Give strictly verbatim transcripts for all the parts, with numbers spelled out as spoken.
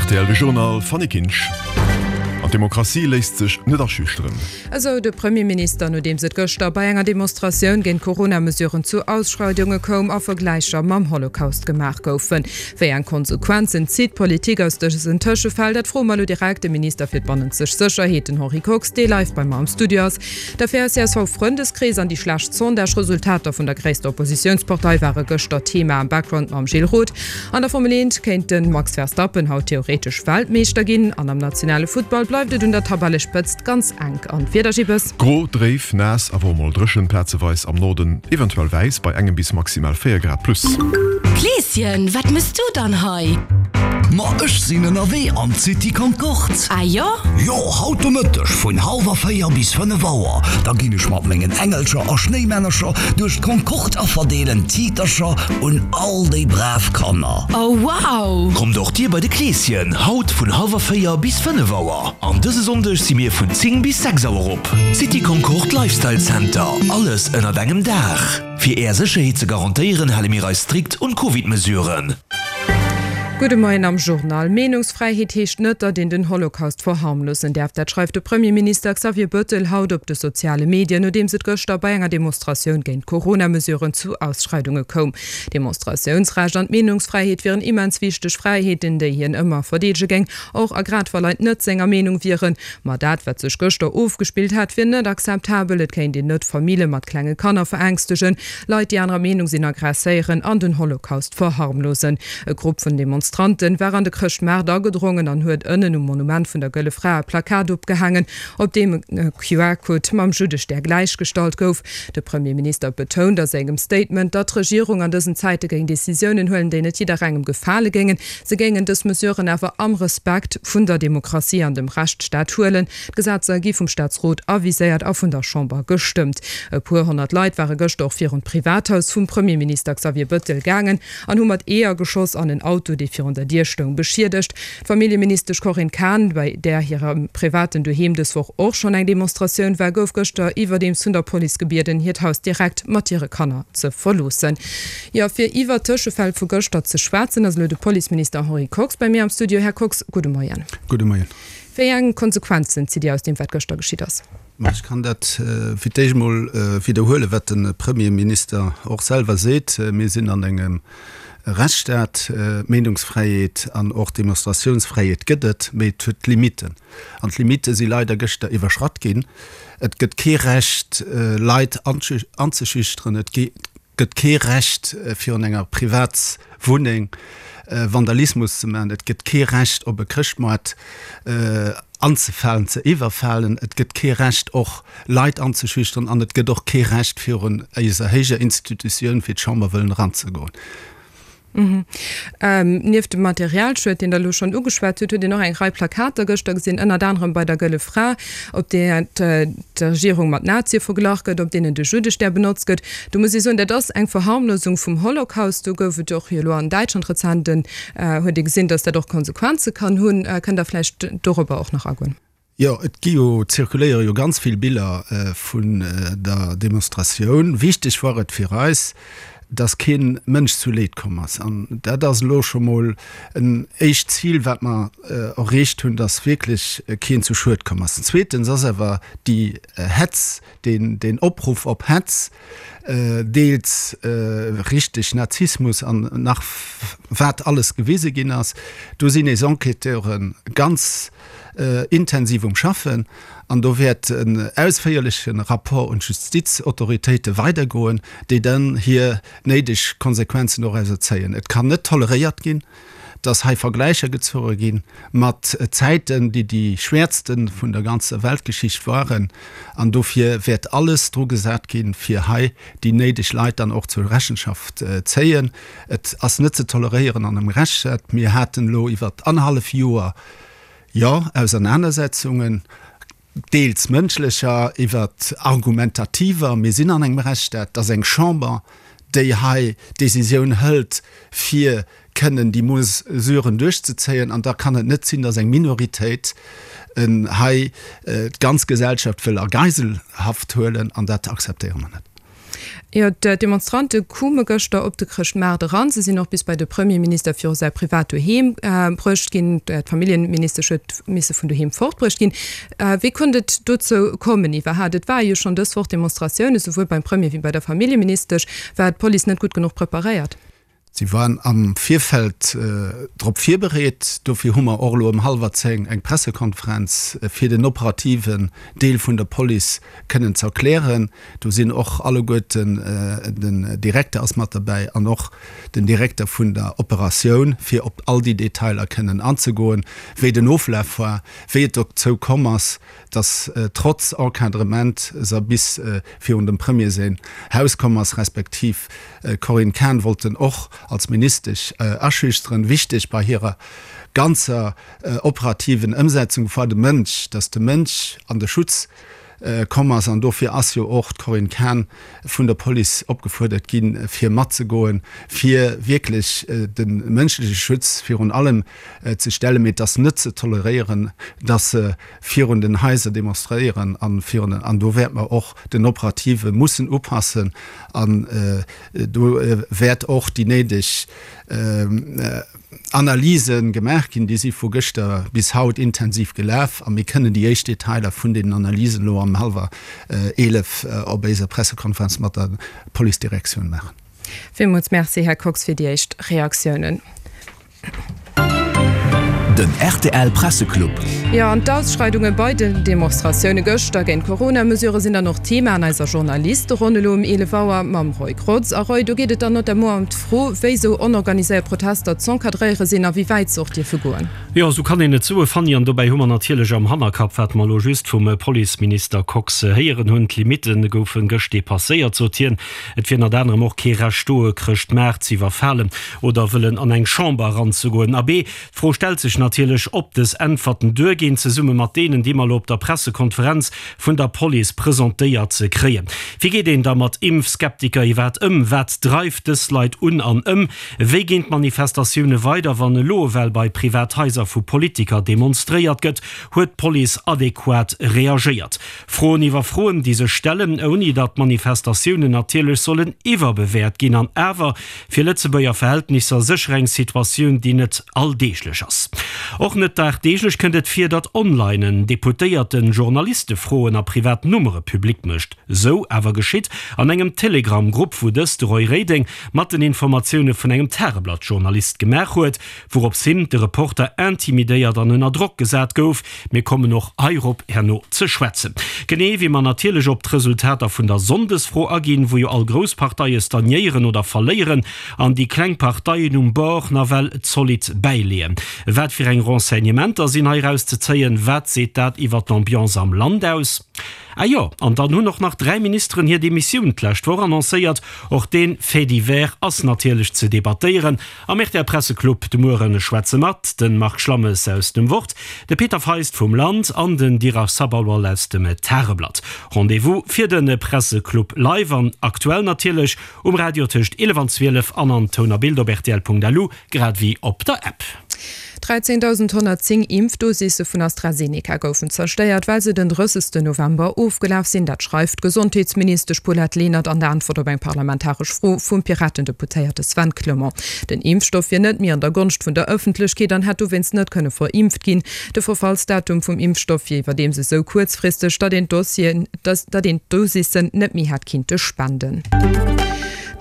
Rtl, de Journal, Fanny Kinsch. An d'Demokratie léisst sech net aschüchteren. Esou de Premierminister, nodeems et gëschter bei enger Demonstratioun géint d'Corona-Mesuren zu Ausschreidunge koum a Vergläicher mam Holocaust gemaach goufen. Wéi eng Konsequenzen zitt d'Politik aus dësen Tëschefäll? Dat froe mer elo direkt de Minister fir d'bannenzeg Sécherheet, den Henri Kox, dee live bei mer am Studio ass. D'Affär C S V-Frëndeskrees an déi schlecht Sondage-Resultater vun der gréisster Oppositiounspartei ware gëschter Thema am Background mam Gilles Roth. An der Formel eent kéint de Max Verstappen haut theoretesch Weltmeeschter ginn an am nationale Futtball bleift et un der Tabellespëtzt ganz enk. An d'Wieder, Gibbes? Gro, dréif, naass, awer och mol dréchen, plazeweis am Norden eventuell wäiss, bei engem bis maximal véier Grad plus. Kleeschen, wat mëss du dann hei? Ma ech sinn ënnerwee an d'City Concorde. Ah jo? Jo, haut de Mëtteg vun hallwer véier bis fënnef Auer. Da ginn ech mat mengen Engelcher a Schnéimännercher duerch d'Concorde a verdeelen Tiitercher un all déi brav Kanner. Oh wow! Kommt och dir bei de Kleeschen, haut vun hallwer véier bis fënnef Auer. An dëse Sonndeg si mir vun zéng bis sechs Auer op. City Concorde Lifestyle Center, alles ënnert engem Daach. Fir är Sécherheet ze garantéieren, hale mir eis strikt un d'Covid-Mesuren. Gudde Moien am Journal. Meenungsfräiheet heescht net, datt een den Holocaust verharmlosen däerf. Dat schreift de Premierminister Xavier Bëttel haut op de soziale Medien, nodeems et gëschter bei enger Demonstratioun géint d'Corona-Mesuren zu Ausschreidunge koum. D'Demonstratiounsrecht an d'Meenungsfräiheet wieren immens wichteg Fräiheeten, déi hien ëmmer verdeedege géing, och a grad wa Leit net senger Meenung wieren. Ma dat, wat sech gëschter ofgespillt hätt, wier net akzeptabel. Et kéint een net Famille mat klenge Kanner verängstegen, Leit, déi anerer Meenung sinn, aggresséieren an den Holocaust verharmlosen. E Grupp vun Demonstranten war an de Chrëschtmaart agedrongen an huet ënnen um Monument vun der Gëlle Fra e Plakat opgehaangen, op deem e Q R-Code mam Juddestär gläichgestallt gouf. De Premierminister betount a sengem Statement, datt d'Regierung an dësen Zäite géing Decisiounen huelen, déi net jidderengem gefale géingen. Se géingen dës Mesuren awer am Respekt vun der Demokratie an dem Rechtsstaat huelen. D'Gesetzer gi vum Staatsrot aviséiert a vun der Chamber gestëmmt. E puer honnert Leit ware gëschter och virun d'Privathaus vum Premierminister Xavier Bëttel gaangen an hu mat Eeër geschoss an en Auto, dee virun der Dier stoung, beschiedegt. D'Familljeministesch Corinne Cahen, bei där hirem privaten Doheem dës Woch och schonn eng Demonstratioun war, gouf gëschter iwwerdeems vun der Police gebieden, hiert Haus direkt mat hire Kanner ze verloossen. Jo, fir iwwer d'Tëschefäll vu gëschter ze schwätzen, ass elo de Policeminister Henri Kox bei mir am Studio. Här Kox, gudde Moien. Gudde Moien. Wéi eng Konsequenzen zitt Dir aus deem, wat gëschter geschitt ass? Ma ech kann dat fir d'éischt emol widderhuelen, wat de Premierminister och selwer seet. Mir sinn an engem Rechtsstaat. Meenungsfräiheet an och Demonstratiounsfräiheet gëtt et, mee et huet Limitten. An d'Limitte si leider gëschter iwwerschratt ginn. Et gëtt kee Recht, Leit anzeschüchteren. Et gëtt kee Recht, virun enger Privatswunneng Vandalismus ze maachen. Et gëtt kee Recht, op e Chrëschtmoart anzefalen, ze iwwerfalen. Et gëtt kee Recht, och Leit anzeschüchteren. An et gëtt och kee Recht, virun eiser héijer Institutioun wéi d'Chamber wëllen eranzegoen. Nieft dem Materialschued, deen Der elo schonn ugeschwat hutt, huet een och eng Rei Plakater gëschter gesinn, ënnert anerem bei der Gëlle Fra, op där d'Regierung mat Nazie verglach gëtt, op deenen de Juddestär benotzt gëtt. Do muss ee soen, dat ass eng Verharmlosung vum Holocaust. Do gouf et och jo elo an Däitschland rezent en, huet ee gesinn, datt dat och Konsequenze kann hunn. Kënnt Der vläicht dorobber och nach agoen? Jo, et gi jo, zirkuléiere jo ganz vill Biller vun der Demonstratioun. Wichteg war et fir eis, dass kee Mënsch zu Leed komm ass. An dat ass elo scho mol en éischt Zil, wat mer erreecht hunn, dass wierklech keen zu Schued komm ass. Zweetens ass awer déi Hetz, deen, deen Opruff op Hetz, deels richteg Nazismus an nach wat alles gewise ginn ass, do sinn eis Enquêteure ganz intensiv um Schaffen an do wäert en ausféierleche Rapport un d'Justizautoritéite weidergoen, déi dann hir néideg Konsequenzen dorausser zéien. Et kann net toleréiert ginn, dass hei Vergläicher gezoge gi mat Zäiten, déi déi schwäerste vun der ganzer Weltgeschicht waren. An dofir wäert alles dru gesat ginn, fir hei déi néideg Leit dann och zur Rechenschaft zéien. Et ass net ze toleréieren an engem Rechtsstaat. Mir haten elo iwwer annerhallef Joer, jo, Ausernanersetzungen, deels mënschlecher iwwer argumentativer. Mir sinn an engem Rechtsstaat. Et ass eng Chamber, déi hei d'Decisioun hëlt, fir kënnen déi Mesuren duerchzezéien. An da kann et net sinn, datt eng Minoritéit hei d'ganz Gesellschaft wëll a Geiselhaft huelen. An dat akzeptéiere mer net. Jo, d'Demonstrante koume gëschter op de Chrëschtmaart eran. Se sinn och bis bei de Premierminister viru säi privat Doheem bruecht ginn. D'Familljeministesch huet misse vun doheem fortbruecht ginn. Wéi konnt et dozou kommen iwwerhaapt? Et ware jo schonn dës Woch Demonstratioune souwuel beim Premier wéi bei der Familljeministesch. War d'Police net gutt genuch preparéiert? Si waren am Virfeld drop virbereet. Dofir hu mer och elo ëm hallwer zéng eng Pressekonferenz, fir den operativen Deel vun der Police kënnen ze erklären. Do sinn och alleguerten, den Direkter ass mat derbäi an och den Direkter vun der Operatioun, fir op all déi Detailer kënnen anzegoen, wéi den Oflaf war, wéi et dozou komm ass, dass trotz Encadrement se bis virun dem Premier säin Haus komm ass, respektiv d'Corinne Cahen wollt en och als Ministesch aschüchteren. Wichteg bei hirer ganzer operativen Ëmsetzung war de Mënsch, dass de Mënsch an de Schutz komm ass. An dofir ass jo och d'Corinne Cahen vun der Police opgefuerdert ginn, fir matzegoen, fir wierklech de mënschleche Schutz virun allem ze stellen. Mee et ass net ze toleréieren, dass se virun den Haiser demonstréieren an virun den, an do wäerte mer och den Operative mussen upassen an do wäert och déi néideg Analyse gemaach ginn. Déi si vu gëschter bis haut intensiv gelaf a mir kënnen déi éischt Detailer vun deenen Analysen elo am hallwer eelef op éiser Pressekonferenz mat der Policedirektioun maachen. Villmools Merci, Här Kox, fir déi éischt Reaktiounen. Den rtl Presseclub. Jo, an d'Ausschreidunge bei den Demonstratioune gëschter géint d'Corona-Mesurë sinn dann och Thema an eiser Journalisteronn elo um eelef Auer mam Roy Grotz. A Roy, do geet et dann notamment ëm d'Fro, wéi sou onorganiséiert Protester z'encadréiere sinn a wéi wäit se och dierfe goen. Jo, sou kann een et soe, Fanny. An dobäi hu mer natierlech am Hannerkapp, wat mer elo just vum Policeminister Kox héieren hunn, D'Limitte goufe gëscht depasséiert, sot hien. Et wier ënnert anerem och kee Recht do, e Chrëschtmaart z'iwwerfalen oder wëllen an eng Chamber eranzegoen. Abee, d'Fro stellt sech natierlech, ob dës Äntwerten duerginn, zesumme mat deenen, déi mer elo op der Pressekonferenz vun der Police presentéiert kréien. Wéi geet een da mat Impfskeptiker iwwerhaapt ëm? Wat dreift dës Leit un an ëm? Wéi ginn d'Manifestatioune weider, wann elo ewell bei Privathaiser vu Politiker demonstréiert gëtt? Huet d'Police adequat reagéiert? Froen iwwer Froen, déi sech stellen, ouni datt d'Manifestatiounen natierlech sollen iwwerbewäert ginn. An awer, fir Lëtzebuerger Verhältnisser sécher eng Situatioun, déi net alldeeglech ass. Och net dagdeeglech kënnt et vir, datt online en Deputéierten Journaliste Froen a privat Nummere public mécht. Sou awer geschitt an engem Telegram-Grupp, wou dëst de Roy Reding mat den Informatioune vun engem Tageblatt-Journalist gemaach huet, wourops him de Reporter intimidéiert an ënner Drock gesat gouf. Mir kommen och heirop herno ze schwätzen. Genee wéi mer natierlech op d'Resultater vun der Sonndesfro aginn, wou jo all grouss Parteie stagnéieren oder verléieren an déi kleng Parteien um Bord nawell zolidd bäileeën. Wat fir eng Renseignementer sinn hei erauszezéien? Wat seet dat iwwer d'Ambiance am Land aus? Ah jo, an dann hunn och nach dräi Ministeren hir Demissioun d'lescht Woch annoncéiert. Och dee Fait divers ass natierlech ze debattéieren. Am R T L Presseclub de Muere schwätze mat, de Marc Schlammes aus dem Wort, de Peter Feist vum Land an den Dirac Sabharwal aus dem Tageblatt. Rendez-vous fir de Presseclub live an aktuell natierlech um Radio tëscht eelef an zwielef an an Toun a Bild op rtl Punkt L U grad ewéi op der App. dräizéngdausendhonnertzéng Impfdosisse vun AstraZeneca goufen zerstéiert, well se den drëssegste November ofgelaf sinn. Dat schreift d'Gesondheetsministesch Paulette Lenert an der Äntwert op eng parlamentaresch Fro vum Piraten-Deputéierte Sven Clement. Den Impfstoff wier net méi an der Gonscht vun der Ëffentlechkeet an hätt dowéinst net kënne verimpft ginn. De Verfallsdatum vum Impfstoff wier iwwerdeems esou kuerzfristeg, datt een d'Dossieren, datt een d'Dosissen net méi hätt kinnte spenden.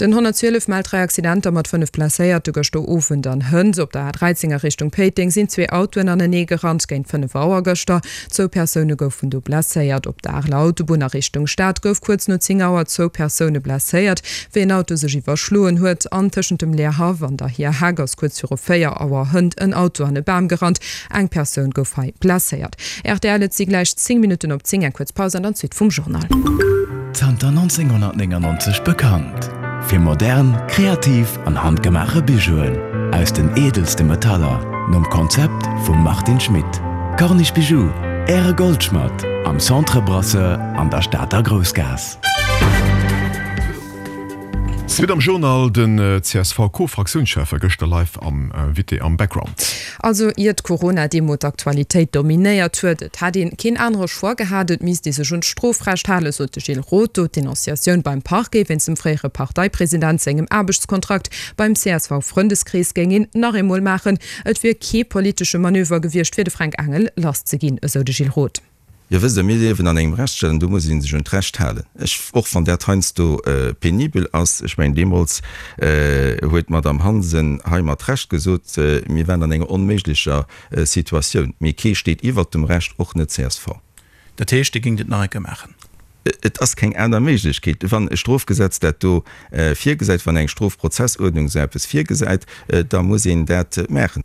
Den honnertzwielef mellt dräi Accidenter mat fënnef Blesséierte gëschter Owend an hënt. Op der A dräizéng a Richtung Péiteng sinn zwee Autoen anenee gerannt géint fënnef Auer gëschter. Zwou Persoune goufen do blesséiert. Op der Areler Autobunn a Richtung Stad gouf kuerz no zéng Auer zwou Persoune blesséiert, wéi en Auto sech iwwerschloen huet. An tëschent dem Leerhaff an der Hierheck ass kuerz viru véier Auer hënt en Auto an e Bam gerannt. Eng Persoun gouf hei blesséiert. Rtl, Et si gläich zéng Minutten op zéng. Eng kuerz Paus an dann d'Suite vum Journal. Zanter nonzénghonnertnéngannonzeg bekannt fir modern, kreativ an handgemaache Bijouen aus den eedelste Metaller, nom Konzept vum Martin Schmit. Corniche Bijoux, Äre Goldschmadd am Centre Brasseur an der Stater Groussgaass. Suite am Journal, Den C S V-Co-Fraktiounschef war gëschter live am Invité am Background. Also ier d'Corona-Demo d'Aktualitéit dominéiert huet. Et hätt een keen anere Choix gehat, et misst ee sech un d'Strofrecht halen, sot de Gilles Roth do. D'Denonciatioun beim Parquet wéinst dem fréiere Parteipresident sengem Aarbechtskontrakt beim C S V-Frëndeskrees géing een nach eemol maachen. Et wier kee politesche Manöver gewiescht, fir de Fränk Engel lass ze ginn, esou de Gilles Roth. Jo, wësst Der, mir liewen an engem Rechtsstaat an do muss ee sech un d'Recht halen. Ech, och wann dat heiansdo penibel ass, ech mengen, deemools huet d'Madame Hansen hei mat Recht gesot, mir waren an enger onméiglecher Situatioun. Mee kee steet iwwert dem Recht, och net C S V. Dat heescht, Dir géingt et nach eng Kéier maachen? Et ass keng aner Méiglechkeet. Wann e Strofgesetz dat do virgesäit, wann eng Strofprozessuerdnung esou eppes virgesäit, da muss een dat maachen.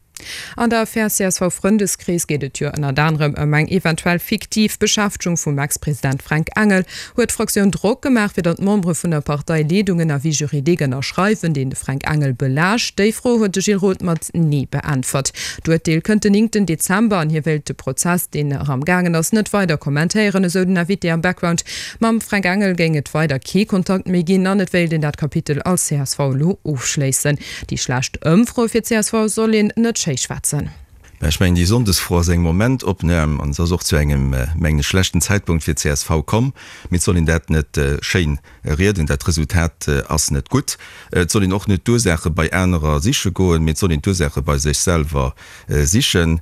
An der Affär C S V-Frëndeskrees geet et jo ënnert anerem ëm eng eventuell fiktiv Beschäftegung vum Ex-President Fränk Engel. Huet d'Fraktioun Drock gemaach, fir datt d'Membere vun der Parteileedung en Avis juridique ënnerschreiwen, deen de Fränk Engel belaascht? Déi Fro huet de Gilles Roth mat Nee beäntwert. D'Urteel kënnt den néngten Dezember an hie wéilt de Prozess, deen nach am gaangen ass, net weider kommentéieren, esou den Invité am Background. Mam Fränk Engel géing et weider kee Kontakt méi ginn an et wéilt een dat Kapitel als C S V elo ofschléissen. Déi schlecht Ëmfroe fir d'C S V soll een net schéi schwätzen. Mä ech mengen, déi Sonndesfro ass eng Momentopnam an se ass och zu engem, mengen ech, schlechten Zäitpunkt fir d'C S V komm. Mee et soll een dat net schéin rieden. Dat Resultat ass net gutt. Et soll een och net d'Ursaache bei anerer siche goen, mee et soll een d'Ursaache bei sech selwer sichen.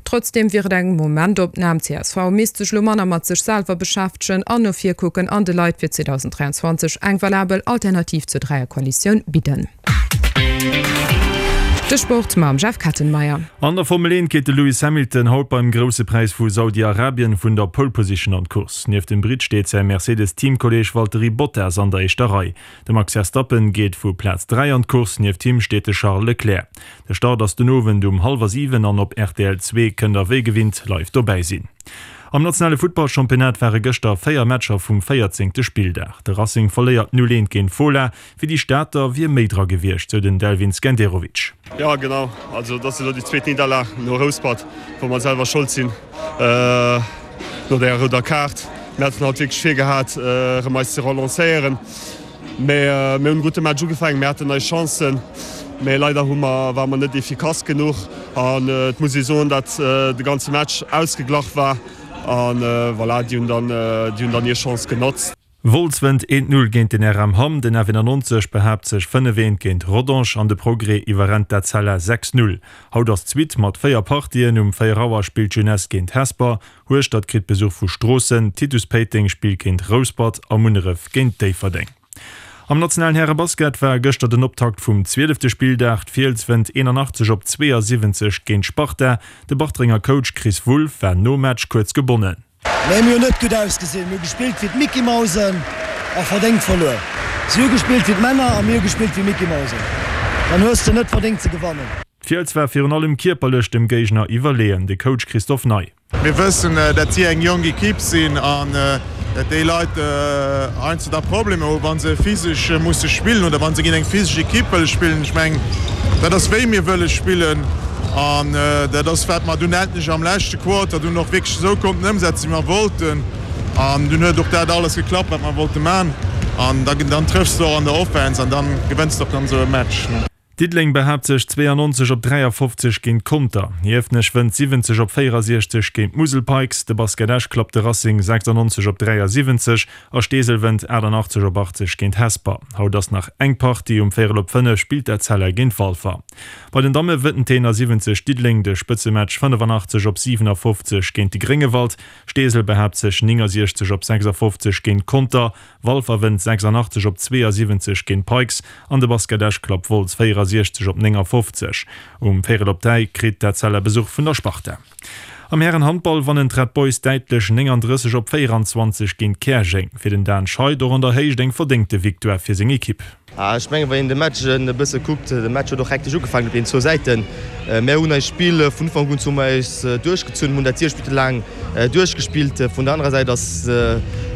Trotzdeem wier et eng Momentopnam. C S V misst sech elo manner mat sech selwer beschäftegen an no vir kucken an de Leit fir zweedausendräianzwanzeg eng valabel Alternativ zur Dräierkoalitioun bidden. De Sport mam Jeff Kettenmeyer. An der Formel eent geet de Lewis Hamilton haut beim Grousse Präis vu Saudi-Arabien vun der Pole Position an d'Course. Nieft dem Britt steet säi Mercedes-Teamkolleeg Valtteri Bottas an der éischter Rei. De Max Verstappen geet vu Plaz dräi an d'Course, nieft him steet de Charles Leclerc. De Start ass den Owend um hallwer siwen an op R T L zwee kënnt der wéi gewinnt live dobäi sinn. Am nationale Futtballchampionnat ware gëschter véier Matcher vum véierzéngte Spilldag. De Racing verléiert null eent géint Fola, fir déi Stater wier méi dra gewiescht, sou den Delvin Skenderovic. Jo genau, also dat ass elo déi zweet Nidderlag no Rouspert, wou mer selwer Schold sinn no der rouder Kaart. Mir haten haut wierklech virgehat erëm eis ze relancéieren, mee mir hunn e gudde Match ugefaangen, mir haten eis Chancen, mee leider hu mer, ware mer net efficace genuch an et muss ee soen, datt de ganze Match ausgeglach war. An voilà, déi hunn dann, déi hunn dann hir Chance genotzt. Wolz wënnt eent Null géint den R M Hamm, den F eenannonzeg behaapt sech fënnef eent géint Rodange an de Progrès iwwerrennt d'Etzella sechs Null. Haut ass d'Suite mat véier Partien, Um véier Auer spillt d'Jeunesse géint Hesper, Hueschtert kritt Besuch vu Stroossen, Titus Péiteng spillt géint Rouspert a Munneref géint Déifferdeng. Am nationalen Härebasket war gëschter den Optakt vum zwielefte Spilldag. D'Fiels wënnt eenanachtzeg op zweeësiwwenzeg géint Sparta. De Bartrenger Coach Chris Wulff war nom Match kuerz gebonnen. Nee, mir hunn net gutt ausgesinn. Mir hu gespillt wéi d'Mickey-Mausen a verdéngt verluer. Si hu gespillt wéi d'Männer a mir hu gespillt wéi Mickey-Mausen. Dann hues de net verdéngt ze gewannen. D'Fiels war virun allem kierperlech dem Géigner iwwerleeën, de Coach Christophe Ney. Mir wëssen, dat si eng jonk Ekipp sinn an dat déi Leit heiansdo da Problemer hu wa se physesch musse spillen oder wa se géint eng physesch Ekipp wëlle spillen. Ech mengen, dat ass wéi mir wëlle spillen an dat ass wat mer dunn endlech am leschte Quarter dunn och wierklech esou konnten ëmsetzen, wéi mer wollten. An dunn huet och dat alles geklappt, wat mer wollte man. An dann trëffs de och an der Offense an dann gewënns de och dann esou e Match. Diddeleng behaapt sech zweeannonzeg op dräiafofzeg géint Conter, Hiefenech wënnt siwwenzeg op véierasiechzeg géint d'Musel Pikes, de Basket Esch klappt de Racing sechsannonzeg op dräiasiwwenzeg a Steesel wënnt achtannachtzeg op achtzeg géint Hesper. Haut ass nach eng Partie, um véierel op fënnef spillt d'Etzella géint Walfer. Bei den Damme wënnt den eenasiwwenzeg Diddeleng de Spëtzematch fënnefanachtzeeg op siwenafoffzeg géint de Gréngewald, Steesel behaapt sech néngasiechzeg op sechsafofzeg géint Conter, Walfer wënnt sechsannachtzeg op zweeësiwwenzeg géint d'Pikes an de Basket Esch klappt Wolz véierasiechzeg op néngafofzeg. Um véierel op dräi kritt d'Etzella Besuch vun der Sparta. Am Hären-Handball wannen d'Red Boys däitlech néngandrësseg op véieranzwanzeg géint Käerjeng. Fir den Dan Scheid och an der Héicht eng verdéngte Victoire fir seng Ekipp. Ech mengen, wann een de Match e bësse kuckt, de Match huet och hektesch ugefaangen op den zwou Säiten. Mär hunn eist Spill vun Ufank un zu eis duerchgezunn, hunn dat siech Minutte laang duerchgespillt. Vun der anerer Säit ass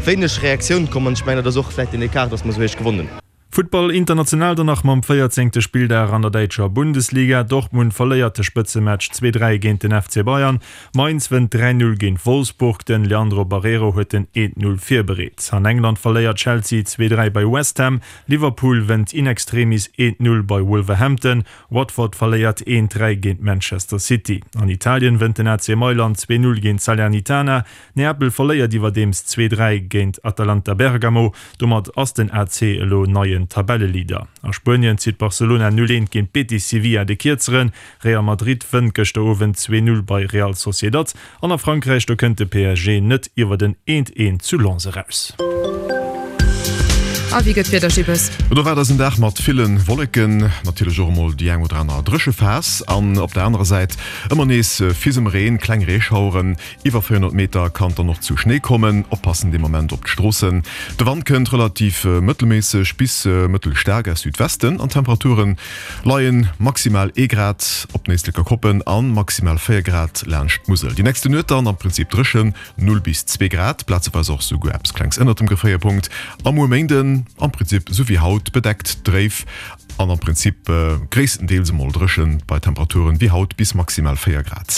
wéineg Reaktioun komm an ech mengen, dat ass och vläicht den Ecart, dass mer esou héich gewonnen hunn. Futtball international dann nach mam véierzéngte Spilldag an der däitscher Bundesliga. Dortmund verléiert de Spëtzematch zwee dräi géint den F C Bayern. Mainz wënnt dräi null géint Wolfsburg, den Leandro Barreiro huet den eent null virbereet. An England verléiert Chelsea zwee dräi bei West Ham, Liverpool wënnt in extremis eent null bei Wolverhampton, Watford verléiert eent dräi géint Manchester City. An Italien wënnt den A C Mailand zwee null géint Salernitana, Neapel verléiert iwwerdeems zwee dräi géint Atalanta Bergamo. Domat ass den A C elo neien Tabelleleader. A Spuenien zitt Barcelona null eent géint Betis Sevilla de Kierzeren. Real Madrid wënnt gëschter Owend zwee null bei Real Sociedad. An a Frankräich, do kënnt de P S G net iwwert en eent eent zu Lens eraus. A wéi gëtt d'Wieder, Gibbes? Et erwaart eis en Dag mat ville Wolleken, natierlech och emol déi eng oder aner Dréchephas an op der anerer Säit ëmmer nees Fisemreen, kleng Reeschaueren. Iwwer véierhonnert Meter kann et dann och zu Schnéi kommen. Oppassen dee Moment op d'Stroossen. De Wand kënnt relativ mëttelméisseg bis mëttelstaark aus Südwesten an d'Temperature leie maximal ee Grad op den Éisleker Koppen an maximal véier Grad laanscht d'Musel. Déi nächste Nuet dann am Prinzip dréchen, null bis zwee Grad, plazeweis och souguer eppes Klengs ënnert dem Gefréierpunkt. A muer Méinden am Prinzip sou wéi haut, bedeckt, dréif an am Prinzip gréisstendeels emol dréchen bei Temperaturen wéi haut bis maximal véier Grad.